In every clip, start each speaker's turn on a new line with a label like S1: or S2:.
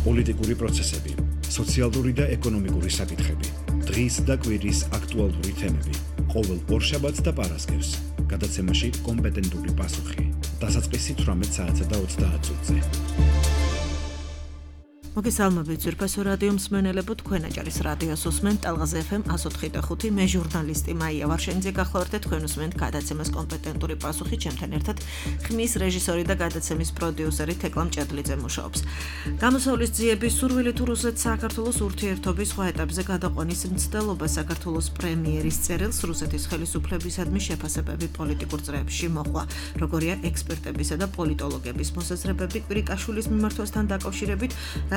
S1: პოლიტიკური პროცესები, სოციალური და ეკონომიკური საკითხები, დღის და კვირის აქტუალური თემები, ყოველ ორშაბათს და პარასკევს, გადაცემაში კომპეტენტური პასუხი, დასაწყისი 18 საათსა და 30 წუთზე.
S2: მოგესალმებით ძვირფასო რადიო მსმენელებო, თქვენ აჭარის რადიოს უსმენთ ტალღაზე FM 104.5, მე ჟურნალისტი მაია ვარშენიძე გახლავართ და თქვენ უსმენთ გადაცემას კომპეტენტური პასუხი, ჩემთან ერთად ხმის რეჟისორი და გადაცემის პროდიუსერი თეკლა მჭედლიძე მუშაობს. გამოსავლის ძიების სურვილი თუ რუსეთ-საქართველოს ურთიერთობის სხვა ეტაპზე გადაყვანის მცდელობა საქართველოს პრემიერის წერილს რუსეთის ხელისუფლებისადმი შეფასებები პოლიტიკურ წრეებში მოჰყვა. როგორია ექსპერტებისა და პოლიტოლოგების მოსაზრებები კვირიკაშვილის მიმართვასთან დაკავშირებით,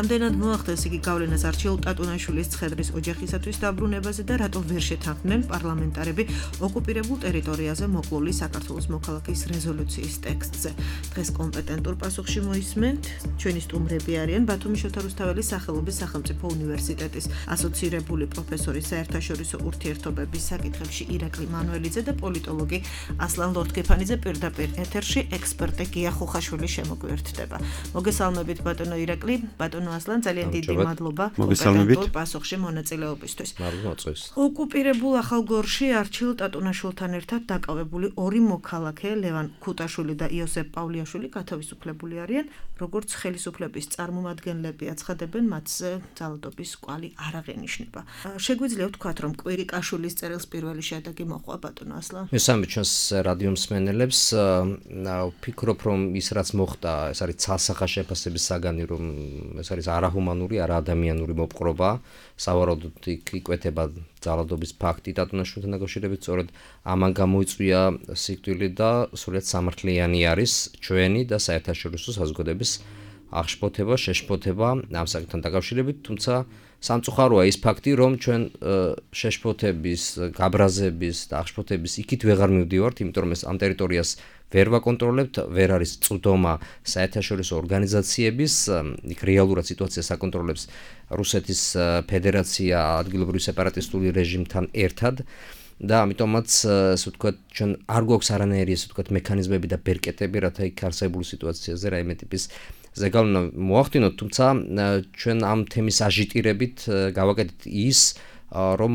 S2: რამდენად მოახდენს იგი გავლენას არჩილ ტატუნაშვილის ცხედრის ოჯახისათვის დაბრუნებაზე და რატო ვერ შეთანხმდნენ პარლამენტარები ოკუპირებულ ტერიტორიაზე მოკლული საქართველოს მოქალაქის რეზოლუციის ტექსტზე. დღეს კომპეტენტურ პასუხში მოისმენთ ჩვენი სტუმრები არიან ბათუმის შოთა რუსთაველის სახელობის სახელმწიფო უნივერსიტეტის ასოცირებული პროფესორი საერთაშორისო ურთიერთობების საკითხებში ირაკლი მანუელიძე და პოლიტოლოგი ასლან ლორთგეფანიძე პირდაპირ ეთერში ექსპერტი გია ხუხაშვილი შემოგვიერთდება. მოგესალმებით ბატონო ირაკლი, ბატონო ასლან, ძალიან დიდი მადლობა კომპეტენტურ პასუხში მონაწილეობისთვის. ოკუპირებულ ახალგორში არჩილ ტატუნაშვილთან ერთად დაკავებული ორი მოქალაქე, ლევან ქუტაშვილი და იოსებ პავლიაშვილი გათავისუფლებული არიან, როგორც ხელისუფლების წარმომადგენლები აცხადებენ, მათზე ძალადობის კვალი არ აღენიშნება. შეგვიძლია ვთქვათ, რომ კვირიკაშვილის წერილს პირველი შედეგი მოჰყვა ბატონო ასლან?
S3: მესამე ჩვენს რადიო მსმენელებს ვფიქრობ, რომ ის რაც მოხდა, ეს არის ცალსახა შეფასების საგანი, რომ ეს არის არაჰუმანური, არაადამიანური მოპყრობა, სავარაუდოდ იკვეთება ძალადობის ფაქტი ტატუნაშვილთან დაკავშირებით, სწორედ ამან გამოიწვია სიკვდილი და სრულიად სამართლიანი არის ჩვენი და საერთაშორისო საზოგადოების აღშფოთება, შეშფოთება ამ საკითხთან დაკავშირებით, თუმცა სამწუხაროა ის ფაქტი, რომ ჩვენ შეშფოთების, გაბრაზების და აღშფოთების იქით ვეღარ მივდივართ, იმიტომ რომ ეს ამ ტერიტორიას ვერ ვაკონტროლებთ, ვერ არის წვდომა საერთაშორისო ორგანიზაციების, იქ რეალურად სიტუაციას აკონტროლებს რუსეთის ფედერაცია ადგილობრივი სეპარატისტული რეჟიმთან ერთად და ამიტომაც ასე ვთქვათ, ჩვენ არ გვაქვს არანაირი ასე ვთქვათ მექანიზმები და ბერკეტები, რათა იქ არსებული სიტუაციაზე რაიმე ტიპის ზეგავლენა მოახდინოთ, თუმცა ჩვენ ამ თემის აჟიტირებით გავაკეთეთ ის, რომ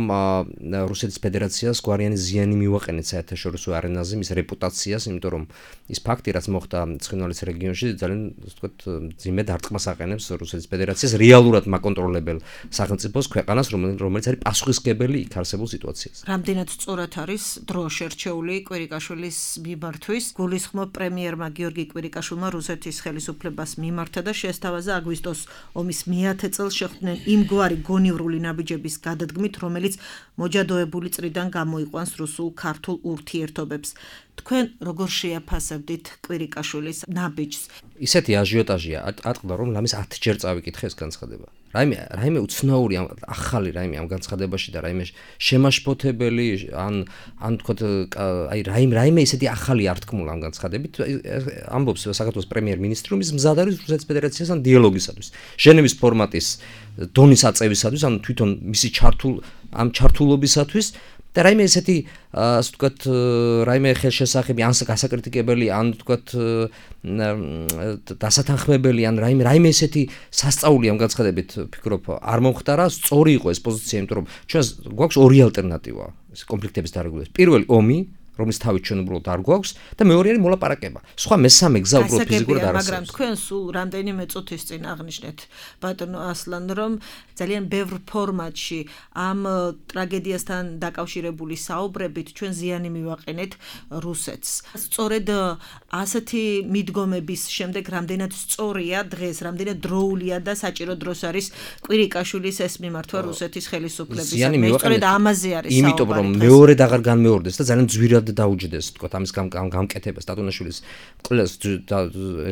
S3: რუსეთის ფედერაციას გვარიანი ზიანი მივაყენეთ საერთაშორისო არენაზე მის რეპუტაციას, იმიტომ რომ ის ფაქტი, რაც მოხდა ცხინვალის რეგიონში, ძალიან ასე ვთქვათ, მძიმე დარტყმას აყენებს რუსეთის ფედერაციას რეალურად მაკონტროლებელ სახელმწიფოს ქვეყანას, რომელიც არის პასუხისმგებელი იქ არსებულ სიტუაციაზე.
S2: რამდენად სწორად არის დრო შერჩეული კვირიკაშვილის მიმართვის? გულისხმობ პრემიერმა გიორგი კვირიკაშვილმა რუსეთის ხელისუფლებას მიმართა და შეესთავაზა აგვისტოს ომის მე-10 წელს შეხვდნენ იმგვარი გონივრული ნაბიჯების გადადგმით, რომელიც მოჯადოებული წრიდან გამოიყვანს რუსულ-ქართულ ურთიერთობებს. თქვენ როგორ შეაფასებდით კვირიკაშვილის ნაბიჯს?
S3: ისეთი აჟიოტაჟია ატყდა, რომ ლამის 10 ჯერ წავიკითხე ეს განცხადება. რაიმე უცნაური ახალი რაიმე ამ განცხადებაში და რაიმე შემაშფოთებელი ან თქვათ აი რაიმე ისეთი ახალი არ თქმულა ამ განცხადებით. ამბობს საქართველოს პრემიერ-მინისტრი, რომ ის მზად არის რუსეთის ფედერაციასთან დიალოგისათვის, ჟენევის ფორმატის დონის აწევისათვის, ანუ თვითონ მისი ჩართულობისათვის და რაიმე ესეთი ასე ვთქვათ, რაიმე ხელშესახები, ან გასაკრიტიკებელი, ან ვთქვათ დასათანხმებელი, ან რაიმე ესეთი სასწაული ამ განცხადებით ვფიქრობ არ მომხდარა, სწორი იყო ეს პოზიცია, იმიტომ რომ ჩვენ გვაქვს ორი ალტერნატივა ეს კონფლიქტების დარეგულირებას. პირველი ომი, რომლის თავით ჩვენ უბრალოდ არ გვაქვს და მეორე არის მოლაპარაკება. სხვა მესამე გზა უბრალოდ ფიზიკურად არ არსებობს.
S2: მაგრამ თქვენ სულ რამდენიმე წუთის წინ აღნიშნეთ ბატონო ასლან, რომ ძალიან ბევრ ფორმატში ამ ტრაგედიასთან დაკავშირებული საუბრებით ჩვენ ზიანი მივაყენეთ რუსეთს. სწორედ ასეთი მიდგომების შემდეგ რამდენად სწორია დღეს, რამდენად დროულია და საჭირო დროს არის კვირიკაშვილის ეს მიმართვა რუსეთის ხელისუფლებისადმი. სწორედ ამაზე არის საუბარი.
S3: იმიტომ რომ მეორედ აღარ განმეორდეს და ძალიან ძვირად დაუჯდეს, თქვათ, ამის გამკეთებას ტატუნაშვილის კლას და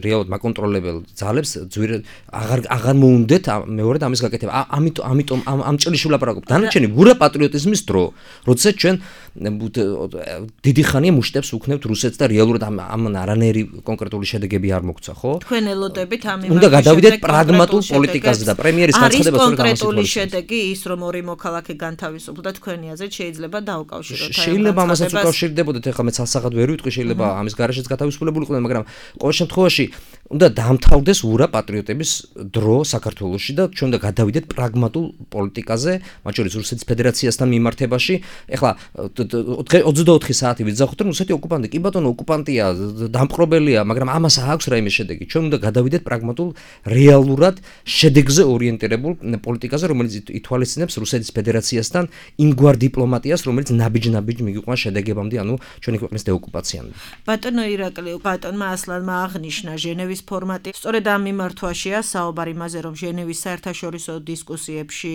S3: რეალურად მაკონტროლებელ ძალებს ძვირად აღარ მოუნდეთ მეორედ ამის გაკეთება. ამიტომ ამ ჭრილში ვლაპარაკობ. დანარჩენი გურა პატრიოტიზმის დრო, როდესაც ჩვენ დიდი ხანია მუშტებს ვუქნებთ რუსეთს და რეალურად ამ არანაირი კონკრეტული შედეგები არ მოგცა, ხო?
S2: თქვენ ელოდებით ამ იმას.
S3: უნდა გადავიდეთ პრაგმატულ პოლიტიკაზე და პრემიერის განცხადება სწორედ ამას ითხოვს.
S2: კონკრეტული შედეგი ის, რომ ორი მოქალაქე განთავისუფლდა, თქვენი აზრით შეიძლება დაუკავშიროთ.
S3: შეიძლება ამასაც უკავშირდებოდეთ, ეხლა მე ცალსახად ვერ ვიტყვი, შეიძლება ამის გარეშეც გათავისუფლებულიყო, მაგრამ ყოველ შემთხვევაში უნდა დაამთავრდეს ურა პატრიოტების დრო საქართველოში და ჩვენ უნდა გადავიდეთ პრაგმატულ პოლიტიკაზე, მათ შორის რუსეთის ფედერაციასთან მიმართებაში. ეხლა 24 საათი ვიძახოთ, რომ რუსეთი ოკუპანტი, კი ბატონო, ოკუპანტია, დამპყრობელია, მაგრამ ამას აქვს რაიმე შედეგი. ჩვენ უნდა გადავიდეთ პრაგმატულ, რეალურად შედეგზე ორიენტირებულ პოლიტიკაზე, რომელიც ითვალისწინებს რუსეთის ფედერაციასთან იმგვარ დიპლომატიას, რომელიც ნაბიჯ-ნაბიჯ მიგიყვანს შედეგებამდე, ანუ ჩვენი ქვეყნის დეოკუპაციამდე.
S2: ბატონო ირაკლი, ბატონმა ასლანმა აღნიშნა ჟენევის ფორმატი. სწორედ ამ მიმართვაშია საუბარი იმაზე, რომ ჟენევის საერთაშორისო დისკუსიებში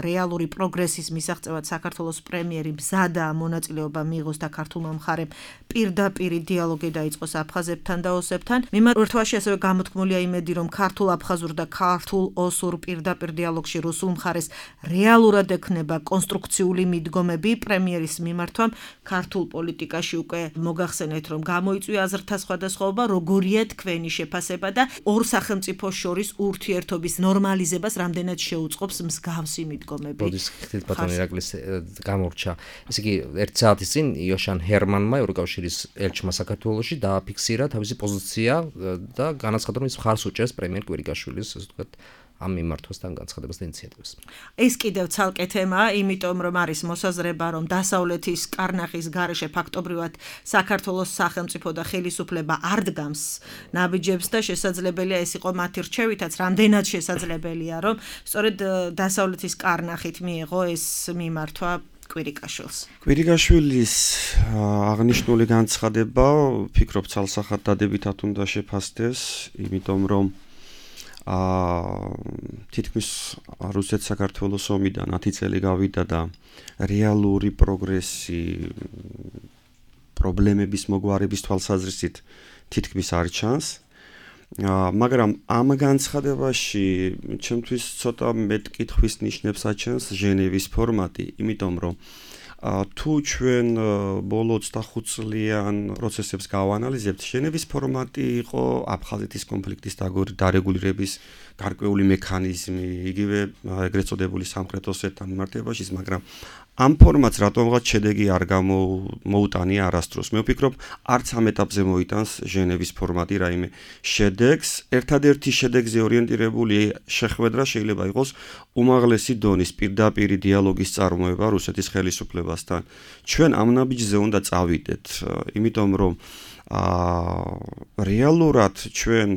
S2: რეალური პროგრესის მისაღწევად საქართველოს პრემიერი მზადაა მონაწილეობა მიიღოს და ქართულმა მხარემ პირდაპირი დიალოგი დაიწყოს აფხაზებთან და ოსებთან. მიმართვაში ასევე გამოთქმულია იმედი, რომ ქართულ-აფხაზურ და ქართულ-ოსურ პირდაპირ დიალოგში რუსულ მხარეს რეალურად ექნება კონსტრუქციული მიდგომები პრემიერის მიმართვამ. ქართულ პოლიტიკაში უკვე მოგახსენეთ, რომ გამოიწვია აზრთა სხვადასხვაობა, როგორია თქვენი შეფასება და ორ სახელმწიფოს შორის ურთიერთობის ნორმალიზებას რამდენად შეუწყობს მსგავსი მიდგომები.
S3: როდის ხილ ბატონი ირაკლის გამორჩა. ესე იგი 1 საათის წინ იოშან ჰერმანმა ევროკავშირის ელჩმა საქართველოში დააფიქსირა თავისი პოზიცია და განაცხადა, რომ ის მხარს უჭერს პრემიერ კვირიკაშვილის, ასე ვთქვათ, ამ მიმართვასთან განცხადებას და ინიციატივას.
S2: ეს კიდევ ცალკე თემაა, იმიტომ რომ არის მოსაზრება, რომ დასავლეთის კარნახის გარეშე ფაქტობრივად საქართველოს სახელმწიფო და ხელისუფლება არ დგამს ნაბიჯებს და შესაძლებელია ეს იყო მათი რჩევითაც, რამდენად შესაძლებელია, რომ სწორედ დასავლეთის კარნახით მიიღო ეს მიმართვა კვირიკაშვილს.
S4: კვირიკაშვილის აღნიშნული განცხადება, ვფიქრობ, ცალსახად დადებითად უნდა შეფასდეს, იმიტომ რომ თითქმის რუსეთ-საქართველოს ომიდან 10 წელი გავიდა და რეალური პროგრესი პრობლემების მოგვარების თვალსაზრისით თითქმის არ ჩანს. მაგრამ ამ განცხადებაში ჩემთვის ცოტა მეტკითხვის ნიშნებს აჩენს ჟენევის ფორმატი, იმიტომ რომ თუ ჩვენ ბოლო 25 წლიან პროცესებს გავანალიზებთ, ჟენევის ფორმატი იყო აფხაზეთის კონფლიქტის დარეგულირების გარკვეული მექანიზმი, იგივე ეგრეთ წოდებული სამხრეთ ოსეთთან მიმართებაში, მაგრამ ამ ფორმატს რატომღაც შედეგი არ მოუტანია არასდროს. მე ვფიქრობ, არც ამ ეტაპზე მოიტანს ჟენევის ფორმატი რაიმე შედეგს. ერთადერთი შედეგზე ორიენტირებული შეხვედრა შეიძლება იყოს უმაღლესი დონის პირდაპირი დიალოგის წარმოება რუსეთის ხელისუფლებასთან. ჩვენ ამ ნაბიჯზე უნდა წავიდეთ, იმიტომ რომ რეალურად ჩვენ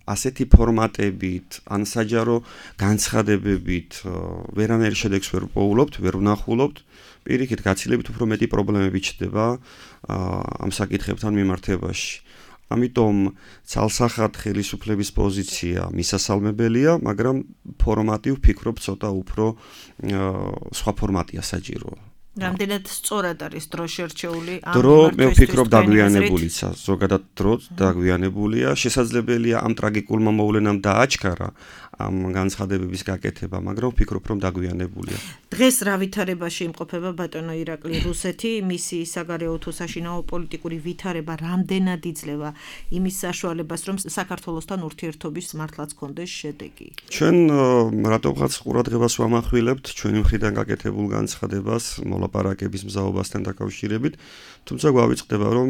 S4: ასეთი ფორმატებით, ან საჯარო განცხადებებით ვერანაირ შედეგს ვერ პოულობთ, ვერ ვნახულობთ. პირიქით, გაცილებით უფრო მეტი პრობლემები ჩნდება ამ საკითხებთან მიმართებაში. ამიტომ ცალსახად ხელისუფლების პოზიცია მისასალმებელია, მაგრამ ფორმატი ვფიქრობ ცოტა უფრო სხვა ფორმატია საჭირო.
S2: რამდენად სწორად არის დრო შერჩეული ამ
S4: დრო მე ვფიქრობ დაგვიანებულიცა, ზოგადად დრო დაგვიანებულია, შესაძლებელია ამ ტრაგიკულმა მოვლენამ დააჩქარა ამ განცხადებების გაკეთება, მაგრამ ვფიქრობ, რომ დაგვიანებულია.
S2: დღეს რა ვითარებაში იმყოფება ბატონო ირაკლი რუსეთი, მისი საგარეო თუ საშინაო პოლიტიკური ვითარება რამდენად იძლევა იმის საშუალებას, რომ საქართველოსთან ურთიერთობის მართლაც კონდეს შედეგი?
S4: ჩვენ რატომღაც ყურადღებას ვამახვილებთ ჩვენი მხრიდან გაკეთებულ განცხადებას მოლაპარაკების მზაობასთან დაკავშირებით, თუმცა გვავიწყდება, რომ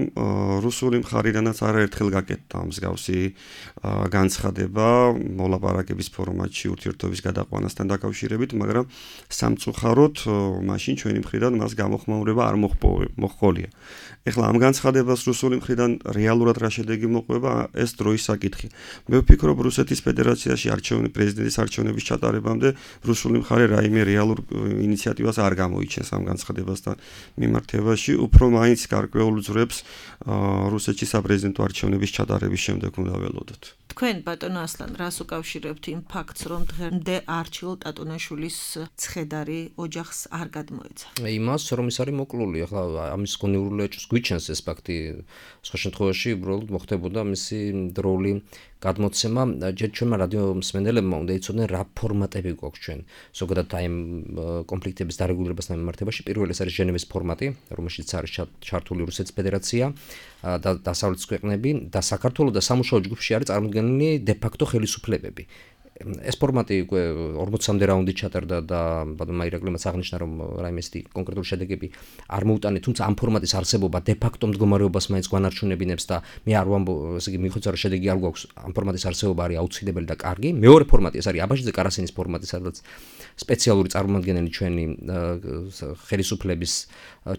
S4: რუსული მხარიდანაც არაერთხელ გაკეთდა მსგავსი განცხადება მოლაპარაკების ფორმატში ურთიერთობის გადაყვანასთან დაკავშირებით, მაგრამ სამწუხაროდ მაშინ ჩვენი მხრიდან მას გამოხმაურება არ მოჰყოლია. ეხლა ამ განცხადებას რუსული მხრიდან რეალურად რა შედეგი მოყვება, ეს დროის საკითხი. მე ვფიქრობ, რუსეთის ფედერაციაში პრეზიდენტის არჩევნების ჩატარებამდე რუსული მხარე რაიმე რეალურ ინიციატივას არ გამოიჩენს ამ განცხადებასთან მიმართებაში, უფრო მაინც გარკვეულ ძვრებს რუსეთში საპრეზიდენტო არჩევნების ჩატარების შემდეგ უნდა ველოდოთ.
S2: თქვენ ბატონო ასლან რას უკავშირებთ იმ ფაქტს, რომ დღემდე არჩილ ტატუნაშვილის ცხედარი ოჯახს არ გადმოეცა?
S3: იმას, რომ ის არის მოკლული, ახლა ამის გონივრული ეჭვს გვიჩენს ეს ფაქტი, სხვა შემთხვევაში უბრალოდ მოხდებოდა მისი დროული გადმოცემა. ჯერ ჩვენმა რადიო მსმენელებმა უნდა იცოდნენ რა ფორმატები გვაქვს ჩვენ. ზოგადად აი ამ კონფლიქტების დარეგულირებასთან მიმართებაში პირველი ეს არის ჟენევის ფორმატი, რომელშიც არის ჩართული რუსეთის ფედერაცია და დასავლეთის ქვეყნები და საქართველოს და სამუშაო ჯგუფში არის წარმოდგენილი დე-ფაქტო ხელისუფლებები. ეს ფორმატი უკვე 40-მდე რაუნდი ჩატარდა და ბატონმა ირაკლიმაც აღნიშნა რომ რაიმე ისეთი კონკრეტული შედეგები არ მოუტანე, თუმცა ამ ფორმატის არსებობა დე ფაქტო მდგომარეობას მაინც გვანარჩუნებინებს და მე არ ვამბობ, ესე იგი მიხვეწა რომ შედეგი არ გვაქვს, ამ ფორმატის არსებობა არის აუცილებელი და კარგი. მეორე ფორმატი ეს არის აბაშიძე კარასინის ფორმატი, სადაც სპეციალური წარმომადგენელი ჩვენი ხელისუფლების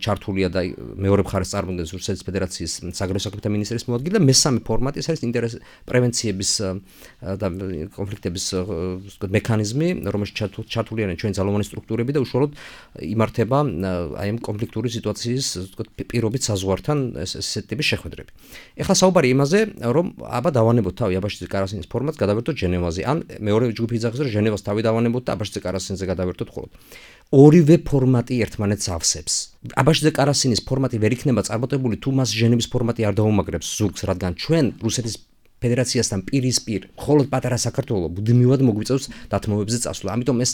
S3: ჩართულია და მეორე მხარეს წარმოადგენს რუსეთის ფედერაციის საგარეო საქმეთა მინისტრის მოადგილე და მესამე ფორმატი ეს არის ინტერეს პრევენციების და კონფლიქტების მექანიზმი, რომელშიც ჩართული არიან ჩვენი ძალოვანი სტრუქტურები და უშუალოდ იმართება აი ამ კონფლიქტური სიტუაციის პირობით საზღვართან ესეთი ტიპის შეხვედრები. ეხლა საუბარი იმაზე, რომ აბა დავანებოთ თავი აბაშიძე კარასინის ფორმატს, გადავერთოთ ჟენევაზე. ან მეორე ჯგუფი იძახის, რომ ჟენევას თავი დავანებოთ და აბაშიძე კარასინზე გადავერთოთ ხოლმე. ორივე ფორმატი ერთმანეთს ავსებს. აბაშიძე კარასინის ფორმატი ვერ იქნება წარმატებული თუ მას ჟენევის ფორმატი არ დაუმაგრებს ზურგს, რადგან ჩვენ რუსეთის ფედერაციასთან პირისპირ მხოლოდ პატარა საქართველო მუდმივად მოგვიწევს დათმობებზე წასვლა. ამიტომ ეს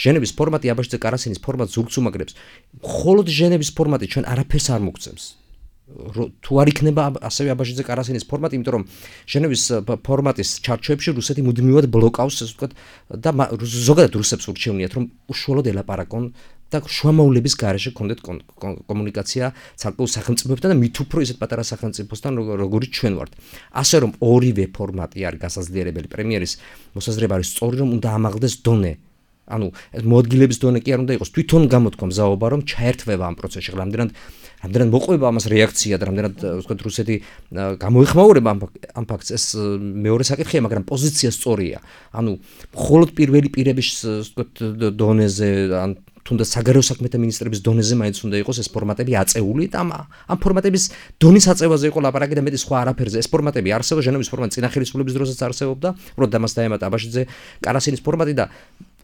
S3: ჟენევის ფორმატი აბაშიძე კარასინის ფორმატს ზურგს უმაგრებს. მხოლოდ ჟენევის ფორმატი ჩვენ არაფერს არ მოგწევს. თუ არ იქნება ასევე აბაშიძე კარასინის ფორმატი, იმიტომ რომ ჟენევის ფორმატის ჩარჩოებში რუსეთი მუდმივად ბლოკავს, ასე ვთქვათ, და ზოგადად რუსებს ურჩევნიათ, რომ უშუალოდ ელაპარაკონ და შუამავლების გარეშე კონდეთ კომუნიკაცია ცალკეულ სახელმწიფოებთან და მით უფრო ისეთ პატარა სახელმწიფოსთან, როგორიც ჩვენ ვართ. ასე რომ ორივე ფორმატი არის გასაზრდიერებელი. პრემიერის მოსაზრება არის სწორი, რომ უნდა ამაღლდეს დონე. ანუ მოადგილების დონე კი არ უნდა იყოს, თვითონ გამოთქვა მზაობა, რომ ჩაერთვება ამ პროცესში. რამდენად მოყვება ამას რეაქცია და რამდენად ვთქვათ რუსეთი გამოეხმაურება ამ ფაქტს, ეს მეორე საკითხია, მაგრამ პოზიცია სწორია. ანუ მხოლოდ პირველი პირების ვთქვათ დონეზე ან თუნდაც საგარეო საქმეთა მინისტრების დონეზე მაინც უნდა იყოს ეს ფორმატები აწეული და ამ ფორმატების დონის აწევაზე იყო ლაპარაკი და მეტი სხვა არაფერზე. ეს ფორმატები არსებობს, ჟენევის ფორმატი წინა ხელისუფლების დროსაც არსებობდა, უბრალოდ ამას დაემატა აბაშიძე კარასინის ფორმატი და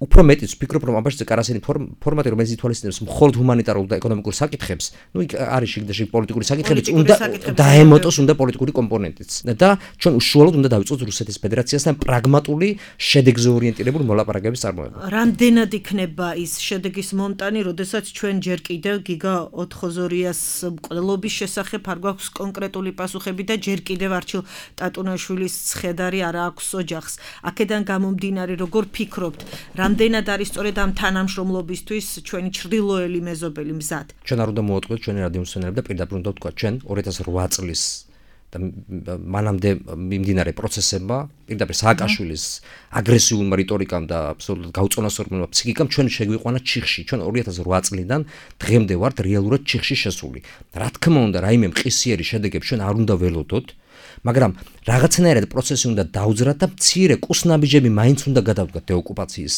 S3: უფრო მეტიც ვფიქრობ, რომ აბაშიძე კარასინის ფორმატი, რომელიც ითვალისწინებს მხოლოდ ჰუმანიტარულ და ეკონომიკურ საკითხებს, ნუ იქ არის შიგდაში პოლიტიკური საკითხებიც, უნდა დაემოტოს უნდა პოლიტიკური კომპონენტიც. და ჩვენ უშუალოდ უნდა დავიწყოთ რუსეთის ფედერაციასთან პრაგმატული, შედეგზე ორიენტირებული მოლაპარაკების წარმოება.
S2: რამდენად იქნება ის შედეგის მონტანი, როდესაც ჩვენ ჯერ კიდევ გიგა ოთხოზორიას მკვლელობის შესახებ არ გვაქვს კონკრეტული პასუხები და ჯერ კიდევ არჩილ ტატუნაშვილის ცხედარი არ აქვს ოჯახს. აქედან გამომდინარე, როგორ ფიქრობთ, რამდენად არის სწორედ ამ თანამშრომლობისთვის ჩვენი ჩრდილოელი მეზობელი მზად?
S3: ჩვენ არ უნდა მოვატყუოთ ჩვენი რადიომსმენელები და პირდაპირ უნდა ვთქვა, ჩვენ 2008 წლის და მანამდე მიმდინარე პროცესებმა, პირდაპირ სააკაშვილის აგრესიულმა რიტორიკამ და აბსოლუტურად გაუწონასწორებულმა ფსიქიკამ ჩვენ შეგვიყვანა ჩიხში. ჩვენ 2008 წლიდან დღემდე ვართ რეალურად ჩიხში შესული. რა თქმა უნდა, რაიმე მყისიერი შედეგები ჩვენ არ უნდა ველოდოთ, მაგრამ რაღაცნაირად პროცესი უნდა დაუძრათ და მცირე კუსნაბიჯები მაინც უნდა გადავდგათ დეოკუპაციის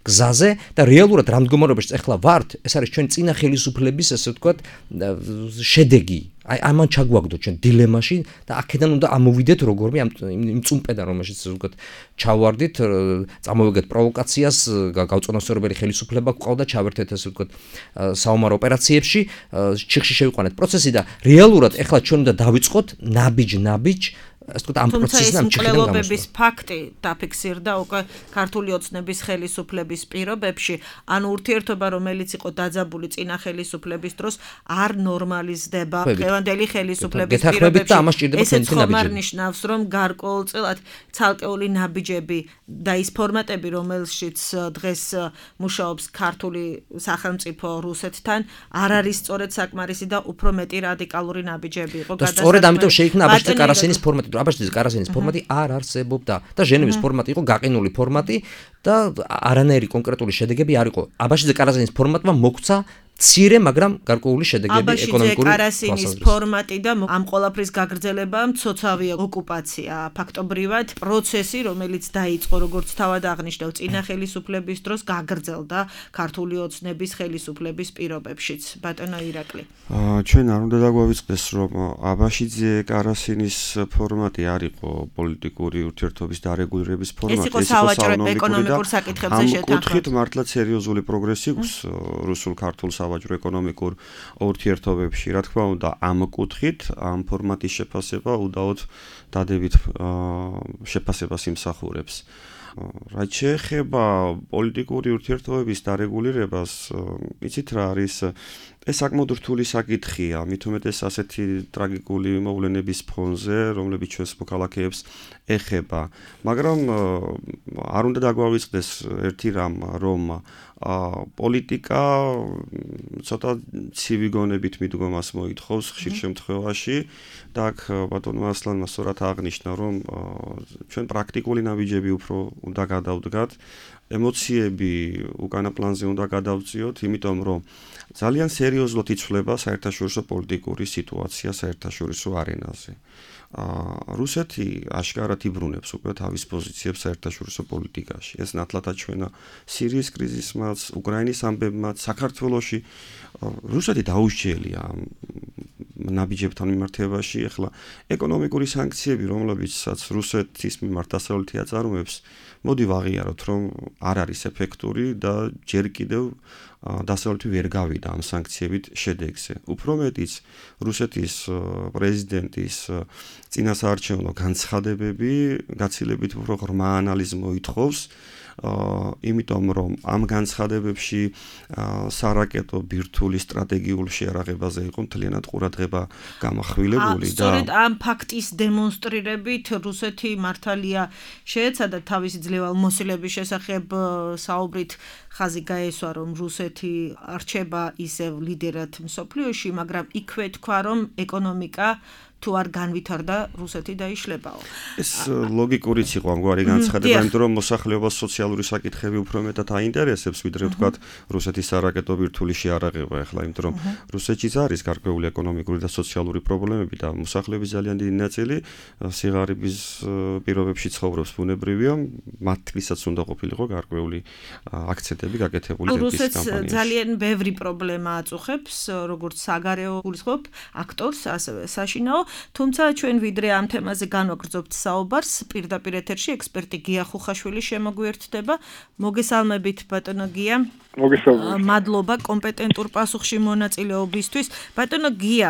S3: გზაზე და რეალურად რა მდგომარეობაში ახლა ვართ, ეს არის ჩვენი წინა ხელისუფლების, ასე ვთქვათ, შედეგი. აი ამან ჩაგვაგდოთ ჩვენ დილემაში და აქედან უნდა ამოვიდეთ როგორმე იმ წუმპედან, რომელშიც ვთქვათ ჩავარდით, წამოვიგეთ პროვოკაციას, გაუწონასწორებელი ხელისუფლება გვყავდა, ჩავერთეთ ასე ვთქვათ საომარ ოპერაციებში, ჩიხში შევიყვანეთ პროცესი და რეალურად ახლა ჩვენ უნდა დავიწყოთ ნაბიჯ ასე ვთქვათ ამ პროცესიდან
S2: მკვლელობების ფაქტი დაფიქსირდა უკვე ქართული ოცნების ხელისუფლების პირობებში, ანუ ურთიერთობა, რომელიც იყო დაძაბული წინა ხელისუფლების დროს, არ ნორმალიზდება დღევანდელი ხელისუფლების პირობებში. ესეც ხომ არ ნიშნავს, რომ გარკვეულწილად ცალკეული ნაბიჯები და ის ფორმატები, რომელშიც დღეს მუშაობს ქართული სახელმწიფო რუსეთთან, არ არის სწორედ საკმარისი და უფრო მეტი რადიკალური ნაბიჯები იყო
S3: გადასაწყვეტი. სწორედ ამიტომ შეიქმნა აბაშიძე კარასინის ფორმატი. აბაშიძე კარასინის ფორმატი არ არსებობდა და ჟენევის ფორმატი იყო გაყინული ფორმატი და არანაირი კონკრეტული შედეგები არ იყო. აბაშიძე კარასინის ფორმატმა მოგვცა მცირე, მაგრამ გარკვეული შედეგები ეკონომიკური
S2: კარასინის ფორმატი და ამ ყველაფრის გაგრძელება მცოცავია ოკუპაცია, ფაქტობრივად პროცესი, რომელიც დაიწყო, როგორც თავად აღნიშნავ, წინა ხელისუფლების დროს გაგრძელდა ქართული ოცნების ხელისუფლების პირობებშიც. ბატონო ირაკლი.
S4: ჩვენ არ უნდა დაგვავიწყდეს, რომ აბაშიძე კარასინის ფორმატი არ იყო პოლიტიკური ურთიერთობის დარეგულირების ფორმატი,
S2: ეს იყო სავაჭრო ეკონომიკურ საკითხებზე
S4: შეთანხმება. ამ კუთხით მართლაც სერიოზული პროგრესი გვს რუსულ-ქართულ სავაჭრო ეკონომიკურ ურთიერთობებში. რა თქმა უნდა, ამ კუთხით ამ ფორმატის შეფასება უდაოდ დადებით შეფასებას იმსახურებს. რაც შეეხება პოლიტიკური ურთიერთობების დარეგულირებას, იცით რა არის ეს საკმაოდ რთული საკითხია, მით უმეტეს ასეთი ტრაგიკული მოვლენების ფონზე, რომლებიც ჩვენს მოქალაქეებს ეხება. მაგრამ არ უნდა დაგვავიწყდეს ერთი რამ, რომ პოლიტიკა ცოტა ცივი გონებით მიდგომას მოითხოვს ხშირ შემთხვევაში და აქ ბატონმა ასლანმა სწორად აღნიშნა, რომ ჩვენ პრაქტიკული ნაბიჯები უფრო უნდა გადავდგათ, ემოციები უკანა პლანზე უნდა გადავწიოთ, იმიტომ რომ ძალიან სერიოზულად იცვლება საერთაშორისო პოლიტიკური სიტუაცია საერთაშორისო არენაზე. რუსეთი აშკარად იბრუნებს უკვე თავის პოზიციებს საერთაშორისო პოლიტიკაში. ეს ნათლად აჩვენა სირიის კრიზისმაც, უკრაინის ამბებმაც, საქართველოში. რუსეთი დაუსჯელია ნაბიჯებთან მიმართებაში. ახლა ეკონომიკური სანქციები, რომლებიცაც რუსეთის მიმართ დასავლეთი აწარმოებს, მოდი ვაღიაროთ, რომ არ არის ეფექტური და ჯერ კიდევ დასავლეთი ვერ გავიდა ამ სანქციებით შედეგზე. უფრო მეტიც რუსეთის პრეზიდენტის წინასაარჩევნო განცხადებები გაცილებით უფრო ღრმა ანალიზს მოითხოვს, იმიტომ რომ ამ განცხადებებში სარაკეტო ბირთვული სტრატეგიული შეარაღებაზე იყო მთლიანად ყურადღება გამახვილებული და
S2: სწორედ ამ ფაქტის დემონსტრირებით რუსეთი მართალია შეეცადა თავისი ძლევალ მოსილების შესახებ საუბრით ხაზი გაესვა, რომ რუსეთი არჩება ისევ ლიდერად მსოფლიოში, მაგრამ იქვე თქვა, რომ ეკონომიკა თუ არ განვითარდა რუსეთი დაიშლებაო.
S4: ეს ლოგიკურიც იყო ამგვარი განცხადება, იმიტომ რომ მოსახლეობას სოციალური საკითხები უფრო მეტად აინტერესებს, ვიდრე ვთქვათ რუსეთის სარაკეტო ბირთვული შეარაღება ახლა, იმიტომ რომ რუსეთშიც არის გარკვეული ეკონომიკური და სოციალური პრობლემები და მოსახლეობის ძალიან დიდი ნაწილი სიღარიბის პირობებში ცხოვრობს, ბუნებრივია, მათთვისაც უნდა ყოფილიყო გარკვეული აქცენტები გაკეთებული ზეთის კამპანიაში.
S2: რუსეთს ძალიან ბევრი პრობლემა აწუხებს, როგორც საგარეო გულისხმობ აქტორს, ასევე საშინაო. თუმცა ჩვენ ვიდრე ამ თემაზე განვაგრძობთ საუბარს, პირდაპირ ეთერში ექსპერტი გია ხუხაშვილი შემოგვიერთდება. მოგესალმებით ბატონო გია.
S5: მოგესალმებით.
S2: მადლობა კომპეტენტურ პასუხში მონაწილეობისთვის. ბატონო გია,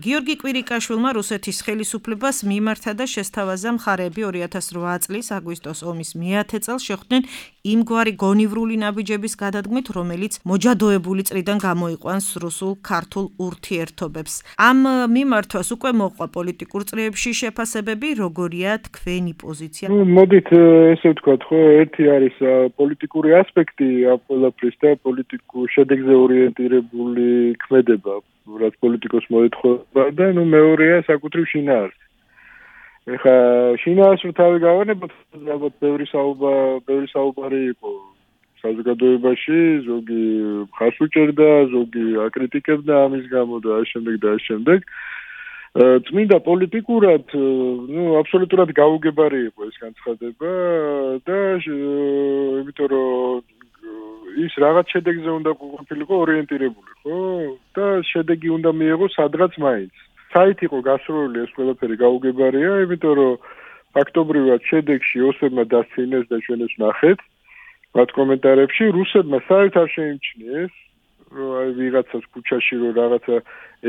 S2: გიორგი კვირიკაშვილმა რუსეთის ხელისუფლებას მიმართა და შესთავაზა მხარეები 2008 წლის აგვისტოს ომის მე-10 წელს შეხვდნენ იმგვარი გონივრული ნაბიჯების გადადგმით, რომელიც მოჯადოებული წრიდან გამოიყვანს რუსულ-ქართულ ურთიერთობებს. ამ მიმართვას უკვე მოყვა პოლიტიკურ წრეებში შეფასებები, როგორია თქვენი პოზიცია?
S5: მოდით ესე ვთქვათ, ხო, ერთი არის პოლიტიკური ასპექტი ამ ყველაფრის და პოლიტიკურ შედეგზე ორიენტირებული ქმედება, რაც პოლიტიკოს მოეთხოვება და მეორეა საკუთრივ შინაარსი. ეხლა შინაარსს თავი გავანებოთ, ალბათ ბევრი საუბარი იყო საზოგადოებაში, ზოგი ხარს უჭერდა, ზოგი აკრიტიკებდა ამის გამო და ამ შემდეგ. წმინდა პოლიტიკურად, აბსოლუტურად გაუგებარი იყო ეს განცხადება და იმიტომ რომ ის რაღაც შედეგზე უნდა ყოფილიყო ორიენტირებული, ხო? და შედეგი უნდა მიიღოს სადღაც მაინც. საით იყო გასროლილი ეს ყველაფერი გაუგებარია, იმიტომ რომ ფაქტობრივად შედეგში ოსებმა დასცინეს და ჩვენ ეს ვნახეთ მათ კომენტარებში, რუსებმა საერთოდ არ შეიმჩნიეს, რომ აი ვიღაცას ქუჩაში რომ რაღაცა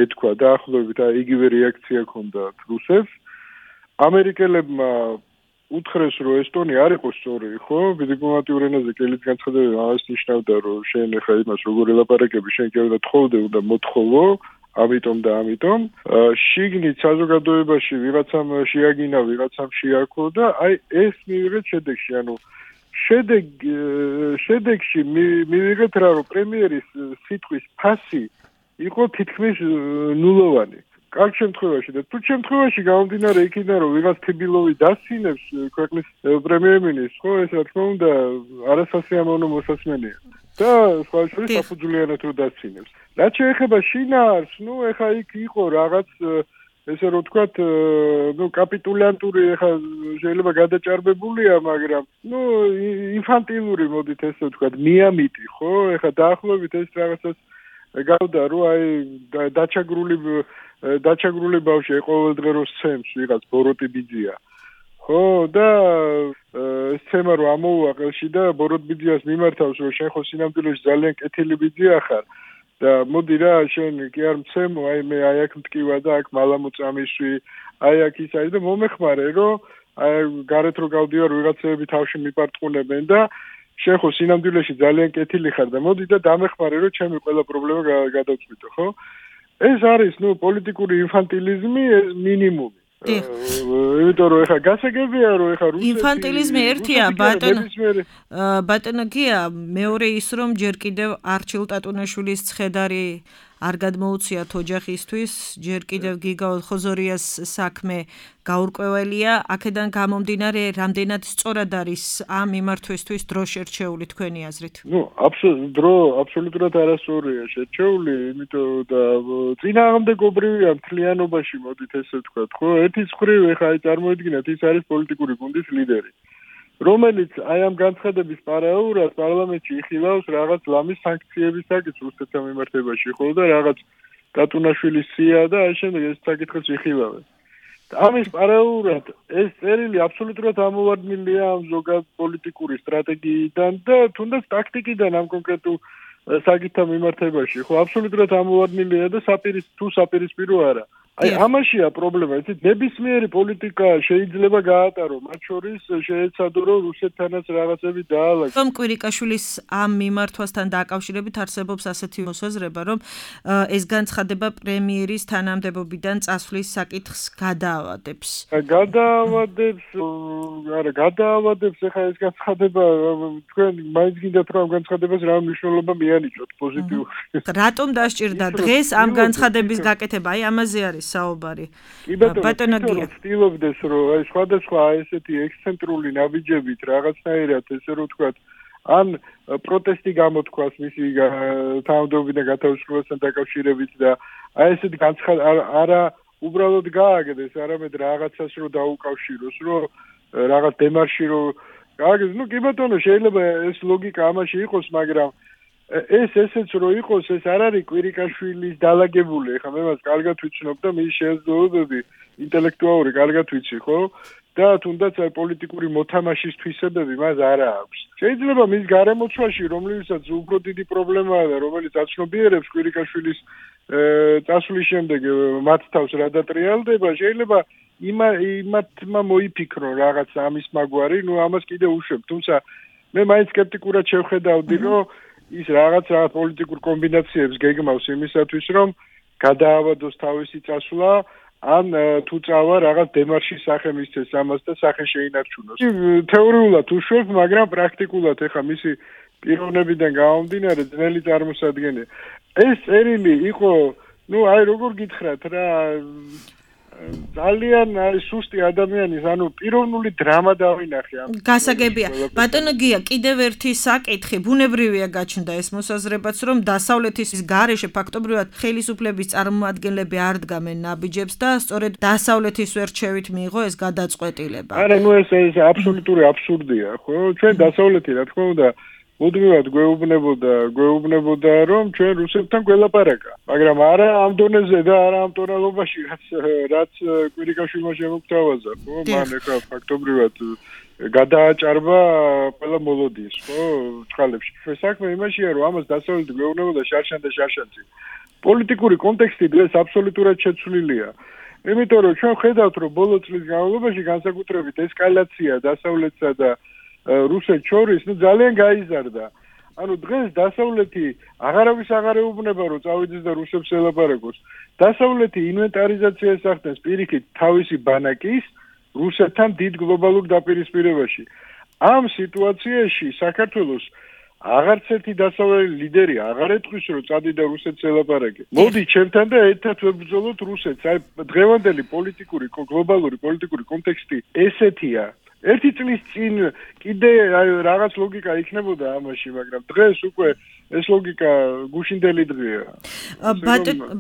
S5: ეთქვა და ახლობით იგივე რეაქცია ჰქონდათ რუსებს. ამერიკელებმა უთხრეს, რომ ესტონია არ იყო სწორი, ხო? დიპლომატიურ ენაზე კელით განცხადება ამას ნიშნავდა, რომ შენ ახლა იმას როგორ ელაპარაკები, შენ კი უნდა თხოვდე, უნდა მოთხოვო, ამიტომ. შიგნით საზოგადოებაში ვიღაცამ შეაგინა, ვიღაცამ შეაქო და აი ეს მივიღეთ შედეგში, ანუ შედეგში მივიღეთ რა, რომ პრემიერის სიტყვის ფასი იყო თითქმის ნულოვანი. კარგ შემთხვევაში და თუ შემთხვევაში გამომდინარე იქიდან, რომ ვიღაც თბილოვი დასცინებს ქვეყნის პრემიერ-მინისტრს, ხო, ეს რა თქმა უნდა არასასიამოვნო მოსასმენია. და სხვა შორის საფუძვლიანად რო დასცინებს. რაც შეეხება შინაარსს, ეხა იქ იყო რაღაც ესე რომ ვთქვათ, კაპიტულანტური ახლა შეიძლება გადაჭარბებულია, მაგრამ ინფანტილური მოდით ესე ვთქვათ, მიამიტი, ხო? ეხლა დაახლოებით ეს რაღაცას გავდა, რომ აი დაჩაგრული ბავშვი ყოველდღე რო სცემს ვიღაც ბოროტი ბიძია. ხო, და სცემა რომ ამოუვა ყელში და ბოროტ ბიძიას მიმართავს, რომ შენ ხო სინამდვილეში ძალიან კეთილი ბიძია ხარ. და მოდი რა, შენ კი არ მცემო, აი მე აი აქ მტკივა და აქ მალამოწამისვი, აი აქ ის არის და მომეხმარე, რომ აი გარეთ რო გავდივარ ვიღაცები თავში მიპარტყუნებენ და შენ ხო სინამდვილეში ძალიან კეთილი ხარ და მოდი და დამეხმარე რომ ჩემი ყველა პრობლემა გადავწყვიტო, ხო? ეს არის, პოლიტიკური ინფანტილიზმი, ეს მინიმუმი. იმიტომ რომ ეხა გასაგებია რომ ეხა რუსეთი
S2: ინფანტილიზმი ერთია ბატონო გია მეორე ის რომ ჯერ კიდევ არჩილ ტატუნაშვილის ცხედარი არ გადმოუციათ ოჯახისთვის ჯერ კიდევ გიგა ხოზორიას საქმე გაურკვეველია აქედან გამომდინარე რამდენად სწორად არის ამ მიმართვისთვის დრო შერჩეული თქვენი აზრით
S5: აბსოლუტურად არასწორია შერჩეული იმიტომ და წინააღმდეგობრივია მთლიანობაში მოდით ესე ვთქვათ ხო ერთის მხრივ ეხა აი წარმოიდგინეთ ის არის პოლიტიკური გუნდის ლიდერი რომელიც აი ამ განცხადების პარალელურად პარლამენტში იხილავს რაღაც ლამის სანქციების საკითხს რუსეთთან მიმართებაში, ხო და რაღაც ტატუნაშვილის სია და აი შემდეგ ეს საკითხს იხილავენ. ამის პარალელურად ეს წერილი აბსოლუტურად ამოვარდნილია ამ ზოგად პოლიტიკური სტრატეგიიდან და თუნდაც ტაქტიკიდან ამ კონკრეტულ საკითხთან მიმართებაში, ხო აბსოლუტურად ამოვარდნილია და საპირისპირო არა. აი ამაშია პრობლემა, იცით, ნებისმიერი პოლიტიკა შეიძლება გაატარო, მათ შორის შეეცადო რომ რუსეთთანაც რაღაცები დაალაგოს.
S2: რომ კვირიკაშვილის ამ მიმართვასთან დაკავშირებით არსებობს ასეთი მოსაზრება, რომ ეს განცხადება პრემიერის თანამდებობიდან წასვლის საკითხს გადაავადებს. გადაავადებს, ეხლა ეს განცხადება თქვენ მაინც გინდათ რომ ამ განცხადებას რა მნიშვნელობა მიანიჭოთ პოზიტიური. რატომ დასჭირდა დღეს ამ განცხადების გაკეთება? აი ამაზე არის საუბარი.
S5: ბატონო გია ვთქვით რომ აი სხვადასხვა ესეთი ექსცენტრული ნაბიჯებით რაღაცნაირად ესე რომ ვთქვათ ან პროტესტი გამოთქვას მისი თანამდებობიდან გათავისუფლებასთან დაკავშირებით და აი ესეთი განცხადება არა უბრალოდ გააგდეს არამედ რაღაცას რომ დაუკავშიროს რომ რაღაც დემარში რომ გააგდეს კი ბატონო შეიძლება ეს ლოგიკა ამაში იყოს მაგრამ ესეც რო იყოს ეს არ არის კვირიკაშვილის დალაგებული ეხლა მე მას კარგად ვიცნობ და მის შესაძლებლობები ინტელექტუალური კარგად ვიცი ხო და თუნდაც აი პოლიტიკური მოთამაშის თვისებები მას არ აქვს შეიძლება მის გარემოცვაში რომლითაც უფრო დიდი პრობლემაა და რომელიც აცნობიერებს კვირიკაშვილის წასვლის შემდეგ მათ თავს რა დატრიალდება შეიძლება იმათმა მოიფიქრო რაღაც ამის მაგვარი ამას კიდე უშვებ თუმცა მე მაინც სკეპტიკურად შევხედავდი რომ ის რაღაც პოლიტიკურ კომბინაციებს გეგმავს იმისათვის, რომ გადაავადოს თავისი წასვლა, ან თუ წავა რაღაც დემარშის სახე მისცეს ამას და სახე შეინარჩუნოს. თეორიულად უშვებ, მაგრამ პრაქტიკულად ეხა მისი პიროვნებიდან გამომდინარე ძნელი წარმოსადგენია. ეს წერილი იყო, აი როგორ გითხრათ რა ძალიან არის სუსტი ადამიანის, პიროვნული დრამა დავინახე ამ.
S2: გასაგებია. ბატონო გია, კიდევ ერთი საკითხი, ბუნებრივია გაჩნდა ეს მოსაზრებაც, რომ დასავლეთის გარეშე ფაქტობრივად ხელისუფლების წარმომადგენლები არ დგამენ ნაბიჯებს და სწორედ დასავლეთის ვერჩევით მიიღო ეს გადაწყვეტილება.
S5: არა, ეს აბსოლუტური აბსურდია, ხო? ჩვენ დასავლეთი, რა თქმა უნდა, მუდმივად გვეუბნებოდა რომ ჩვენ რუსეთთან გველაპარაკა მაგრამ არა ამ დონეზე და არა ამ ტონალობაში რაც კვირიკაშვილმა შემოგთავაზა ხო მან ეხა ფაქტობრივად გადააჭარბა ყველა მოლოდინს ხო წყალებში საქმე იმაშია რომ ამას დასავლეთი გვეუბნებოდა შარშან და შარშანცი პოლიტიკური კონტექსტი დღეს აბსოლუტურად შეცვლილია იმიტომ რომ ჩვენ ხედავთ რომ ბოლო წლის განმავლობაში განსაკუთრებით ესკალაცია დასავლეთსა და რუსეთს შორის ძალიან გაიზარდა. დღეს დასავლეთი აღარავის აღარ ეუბნება რომ წავიდეს და რუსებს ელაპარაკოს. დასავლეთი ინვენტარიზაციას ახდენს პირიქით თავისი ბანაკის რუსეთთან დიდ გლობალურ დაპირისპირებაში. ამ სიტუაციაში საქართველოს აღარც ერთი დასავლელი ლიდერი აღარ ეთქვის რომ წადი და რუსეთს ელაპარაკე. მოდი ჩემთან და ერთად ვებრძოლოთ რუსეთს. აი დღევანდელი გლობალური პოლიტიკური კონტექსტი ესეთია. ერთი წლის წინ კიდე რაღაც ლოგიკა იქნებოდა ამაში, მაგრამ დღეს უკვე ეს ლოგიკა გუშინდელი დღეა.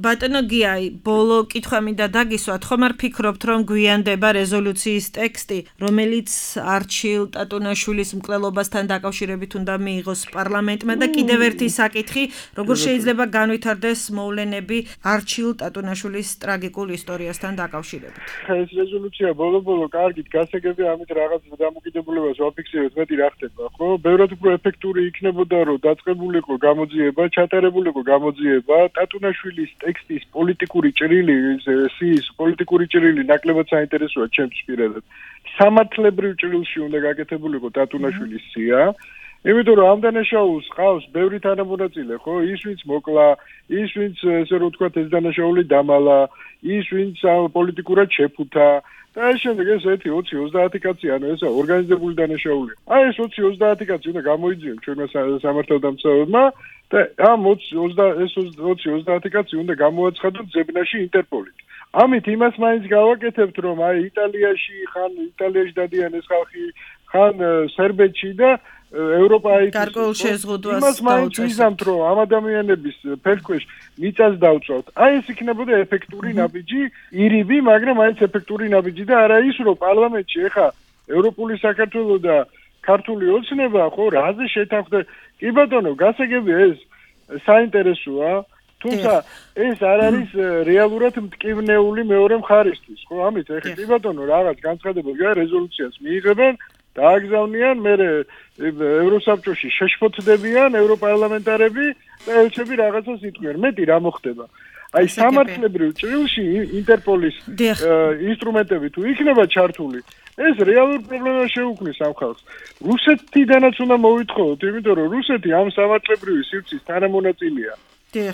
S2: ბატონო გია, ბოლო კითხვა მინდა დაგისვათ, ხომ არ ფიქრობთ, რომ გვიანდება რეზოლუციის ტექსტი, რომელიც არჩილ ტატუნაშვილის მკვლელობასთან დაკავშირებით უნდა მიიღოს პარლამენტმა და კიდევ ერთი საკითხი, როგორ შეიძლება განვითარდეს მოვლენები არჩილ ტატუნაშვილის ტრაგიკულ ისტორიასთან დაკავშირებით.
S5: ეს რეზოლუცია ბოლო-ბოლო კარგით გასაგებია, ამით რაღაც დამოკიდებულებას ვაფიქსირებთ, მეტი რა ხდება, ხო? ბევრად უფრო ეფექტური იქნებოდა, რომ დაწყებულიყო გამოძიება, ჩატარებულიყო გამოძიება, ტატუნაშვილის ტექსტის პოლიტიკური ჭრილი, სიის პოლიტიკური ჭრილი ნაკლებად საინტერესოა ჩემს პირადად. სამართლებრივ ჭრილში უნდა გაკეთებულიყო ტატუნაშვილის სია იმიტომ რომ ამ დანაშაულს ყავს ბევრი თანამონაწილე, ხო? ის ვინც მოკლა, ის ვინც ესე რომ ვთქვათ ეს დანაშაული დამალა, ის ვინც პოლიტიკურად შეფუთა და ეს შემდეგ ეს 1-20-30 კაცი, ანუ ესა ორგანიზებული დანაშაული. აი ეს 20-30 კაცი უნდა გამოიძიონ ჩვენმა სამართალდამცავებმა და ამ 20-30 კაცი უნდა გამოაცხადონ ზებნაში ინტერპოლით. ამით იმას მაინც გავაკეთებთ, რომ აი იტალიაში დადიან ეს ხალხი, ხან სერბეთში და ევროპაში
S2: გარკვეულ შეზღუდვას
S5: იმას მაინც ვიზამთ, რომ ამ ადამიანების ფერქვეშ მიწას დავწვავთ. აი ეს იქნებოდა ეფექტური ნაბიჯი, ირიბი, მაგრამ აიც ეფექტური ნაბიჯი და არა ის, რომ პარლამენტში ეხა ევროპული საქართველო და ქართული ოცნება, ხო, რაზე შეთანხმდა. კი ბატონო, გასაგებია ეს საინტერესოა, თუმცა ეს არ არის რეალურად მტკივნეული მეორე მხარისთვის, ხო, ამით ეხა კი ბატონო რაღაც განცხადებები რეზოლუციას მიიღებენ დააგზავნიან, მე ევროსაბჭოში შეშფოთდებიან ევროპარლამენტარები და ელჩები რაღაცას იტყვიან. მეტი რა მოხდება? აი სამართლებრივ ჭრილში ინტერპოლის ინსტრუმენტები თუ იქნება ჩართული, ეს რეალურ პრობლემას შეუქმნის ამ ხალხს. რუსეთიდანაც უნდა მოვითხოვოთ, იმიტომ რომ რუსეთი ამ სამართლებრივი სივრცის თანამონაწილეა.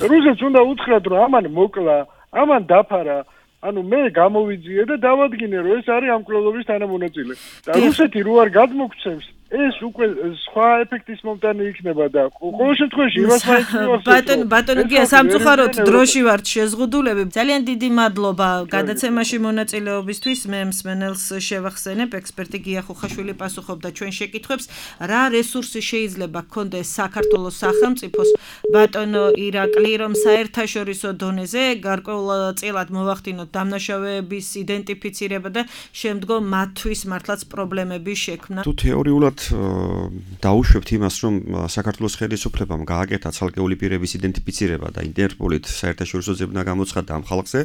S5: რუსეთს უნდა უთხრათ, რომ ამან მოკლა, ამან დაფარა, ანუ მე გამოვიძიე და დავადგინე, რომ ეს არის ამ კვლელობის თანამონაწილე. და რუსეთი რო არ გადმოგცემს, ეს უკვე სხვა ეფექტის მომტანი იქნება და ყოველ შემთხვევაში იმას მაინც მივახსოვს.
S2: ბატონო გია, სამწუხაროდ დროში ვართ შეზღუდულები. ძალიან დიდი მადლობა გადაცემაში მონაწილეობისთვის. მე მსმენელს შევახსენებ, ექსპერტი გია ხუხაშვილი პასუხობდა ჩვენ შეკითხვებს, რა რესურსი შეიძლება გქონდეს საქართველოს სახელმწიფოს ბატონო ირაკლი, რომ საერთაშორისო დონეზე გარკვეულწილად მოვახდინოთ დამნაშავეების იდენტიფიცირება და შემდგომ მათთვის მართლაც პრობლემები შექმნა.
S4: თუ თეორიულად დაუშვებთ იმას, რომ საქართველოს ხელისუფლებამ გააკეთა ცალკეული პირების იდენტიფიცირება და ინტერპოლით საერთაშორისო ზებნა გამოცხადა ამ ხალხზე,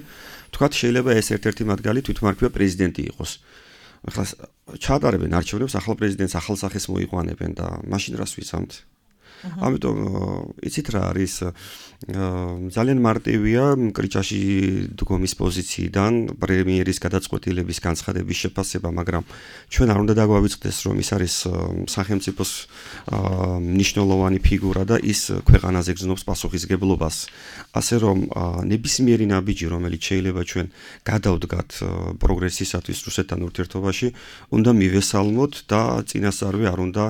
S4: თქვათ შეიძლება ეს ერთ-ერთი მათგანი თვითმარქვია პრეზიდენტი იყოს. ახლა ჩაატარებენ არჩევნებს, ახალ პრეზიდენტს ახალ სახეს მოიყვანებენ და მაშინ რას ვიცამთ? ამიტომ იცით რა არის ძალიან მარტივია კრიჭაში დგომის პოზიციიდან პრემიერის გადაწყვეტილების განცხადების შეფასება, მაგრამ ჩვენ არ უნდა დაგვავიწყდეს, რომ ის არის სახელმწიფოს მნიშვნელოვანი ფიგურა და ის ქვეყანაზე გზნობს პასუხისგებლობას. ასე რომ ნებისმიერი ნაბიჯი, რომელიც შეიძლება ჩვენ გადავდგათ პროგრესისათვის რუსეთთან ურთიერთობაში, უნდა მივესალმოთ და წინასწარვე არ უნდა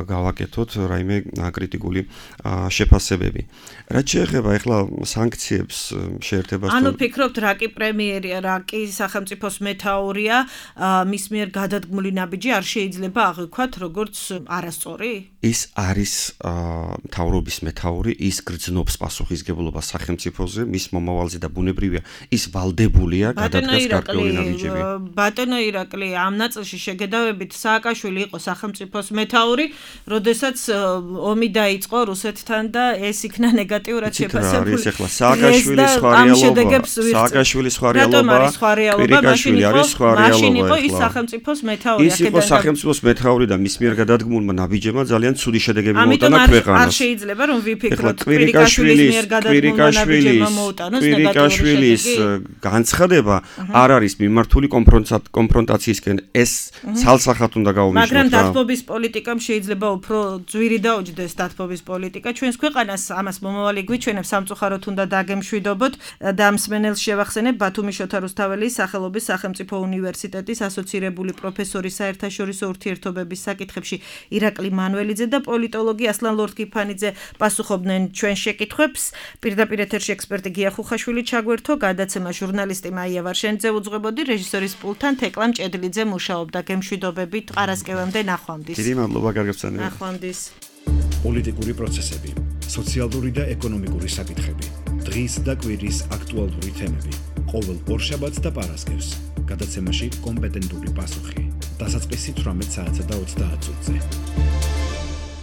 S4: გავაკეთოთ რაიმე კრიტიკული შეფასებები. რაც შეეხება ახლა სანქციებს შეერთებას
S2: ანუ ფიქრობთ რა კი პრემიერია, რა კი სახელმწიფოს მეთაურია, მის მიერ გადადგმული ნაბიჯი არ შეიძლება აღვიქვათ როგორც არასწორი?
S4: ის არის მთავრობის მეთაური, ის გრძნობს პასუხისგებლობას სახელმწიფოზე, მის მომავალზე და ბუნებრივია ის ვალდებულია გადადგას გარკვეული ნაბიჯები.
S2: ბატონო ირაკლი, ამ ნაწილში შეგედავებით სააკაშვილი იყო სახელმწიფოს მეთაური, როდესაც ომი დაიწყო რუსეთთან და ეს იქნა ნეგატიურად შეფასებული.
S4: არის ახლა სააკაშვილის სხვა რეალობა, სააკაშვილის სხვა რეალობა, კვირიკაშვილი არის სხვა რეალობა.
S2: მაშინ იყო ის სახელმწიფოს მეთაური.
S4: ის იყო სახელმწიფოს მეთაური და მის მიერ გადადგმულმა ნაბიჯებმა ძალიან ცუდი შედეგები მოუტანა ქვეყანას.
S2: არ შეიძლება რომ ვიფიქროთ კვირიკაშვილის მიერ გადადგმულმა ნაბიჯებმა მოუტანოს ნეგატიური
S4: კვირიკაშვილის განცხადება არ არის მიმართული კონფრონტაციისკენ, ეს ცალსახად უნდა გაუმჯობესდეს.
S2: მაგრამ დათბობის პოლიტიკამ შეიძლება უფრო ძვირი დაუჯდეს დათბობის პოლიტიკა ჩვენს ქვეყანას, ამას მომავალი გვიჩვენებს, სამწუხაროდ უნდა დაგემშვიდობოთ და მსმენელს შევახსენებ ბათუმის შოთა რუსთაველის სახელობის სახელმწიფო უნივერსიტეტის ასოცირებული პროფესორი საერთაშორისო ურთიერთობების საკითხებში ირაკლი მანველიძე და პოლიტოლოგი ასლან ლორთქიფანიძე პასუხობდნენ ჩვენ შეკითხვებს. პირდაპირ ეთერში ექსპერტი გია ხუხაშვილი ჩაგვერთო, გადაცემა ჟურნალისტი მაია ვარშენიძე უძღვებოდი, რეჟისორის პულტთან თეკლა მჭედლიძე მუშაობდა. გემშვიდობებით, ყარასკევამდე ნახვამდის.
S4: დიდი მადლობა, გარგებსანები.
S2: ნახვამდის.
S1: პოლიტიკური პროცესები, სოციალური და ეკონომიკური საკითხები, დღის და კვირის აქტუალური თემები, ყოველ ორშაბათს და პარასკევს, გადაცემაში კომპეტენტური პასუხი. დასაწყისი 18 საათსა და 30 წუთზე.